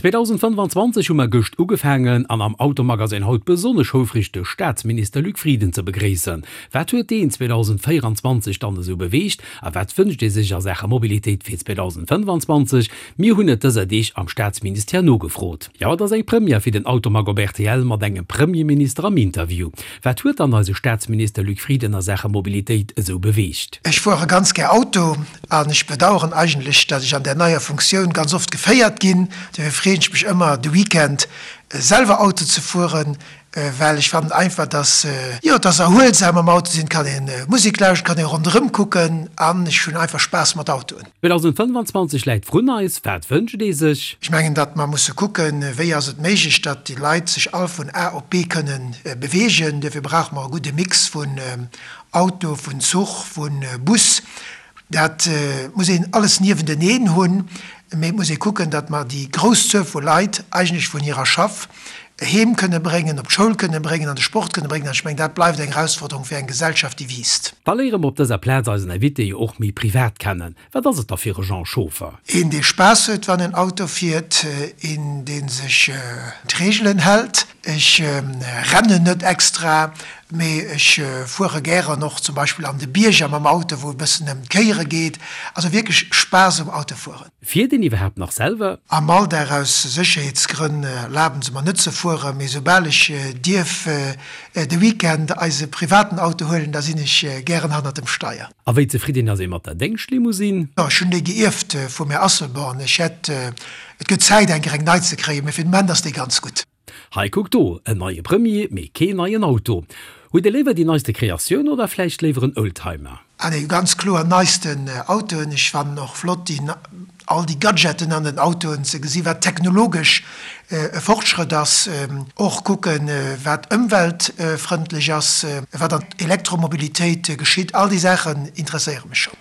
2025 hu mer gëscht ugefaangen an am Automagazin haut besonnesch houfreg de Staatsminister Luc Frieden ze begréissen. Wat huet deen 2024 dann esou beweegt a wat wënscht ee sech a Saache Mobilitéit fir 2025? Mir hunn et dëser Deeg am Staatsministère nogefrot. Jo, et ass eng Première fir den Automag op rtl mat engem Premierminister am Interview. Wat huet dann eise Staatsminister Luc Frieden a Saache Mobilitéit esou beweegt? Ech fuere ganz gär Auto an ech bedaueren eigentlech, datt ech an där neier Funktioun ganz oft geféiert ginn. Dofir freeën ech mech ëmmer de Weekend selwer Auto ze fueren, well ech fannen einfach, datt, jo, et ass erhuelsam am Auto sinn, et kann ee Musek lauschteren, et kann ee ronderëm kucken an ech hunn einfach Spaass mat Autoen. 2025 läit vrun eis, wat wënscht ee sech? Ech mengen, datt mer musse kucken, wéi ass et méiglech, datt déi Leit sech all vun A op B kënnen beweegen. Duerfir brauche mer e gudde Mix vun Auto, vun Zuch, vu Bus. Dat muss een alles niewenteneen hunn, mee et muss ee kucken, datt mer déi grouss Zuel vu Leit eigentlech vun hirer Schaff heem kënne bréngen, op d'Schoul kënne bréngen, an de Sport kënne bréngen. An ech mengen, dat bleift eng Erausforderung fir eng Gesellschaft, déi wiisst. Da léiere mer op dëser Plaz eisen Invité jo och méi privat kennen. Wat ass et da fir e Jean Schoffer? Een, dee Spaass huet, wann en Auto fiert, een, dee sech un d'Reegelen hält. Ech rennen net extra, mee ech fuere gären och zum Beispill an de Bierger mam Auto, wou e bëssen ëm d'Kéiere geet. Also wierklech Spaass um Autofueren. Fiert een iwwerhaapt nach selwer? Am Alldag aus Sécherheetsgrënn erlaben se mer net ze fueren, mee soubal ech dierf de Weekend eise privaten Auto huelen, da sinn ech gären hannert dem Steier. A wéi zefridden ass ee mat der Déngschtlimousine? Ech hunn déi geierft vum Här Asselborn. Ech hätt, et gëtt Zäit eng Kéier eng nei ze kréien, mee fir den Moment ass déi ganz gutt. Hei kuck do, en neie Premier, mee keen neien Auto. Huet ee léiwer déi neiste Kreatioun oder vläicht léiwer en Oldtimer? Ah nee, ganz kloer neisten Autoen. Ech fannen och flott déi all déi Gadgeten an den Autoen ze gesi wat technologesch e Fortschrëtt ass. Och kucken wat ëmweltfrëndlech ass, wat an Elektromobilitéit geschitt. All déi Saachen interesséiere mech schonn.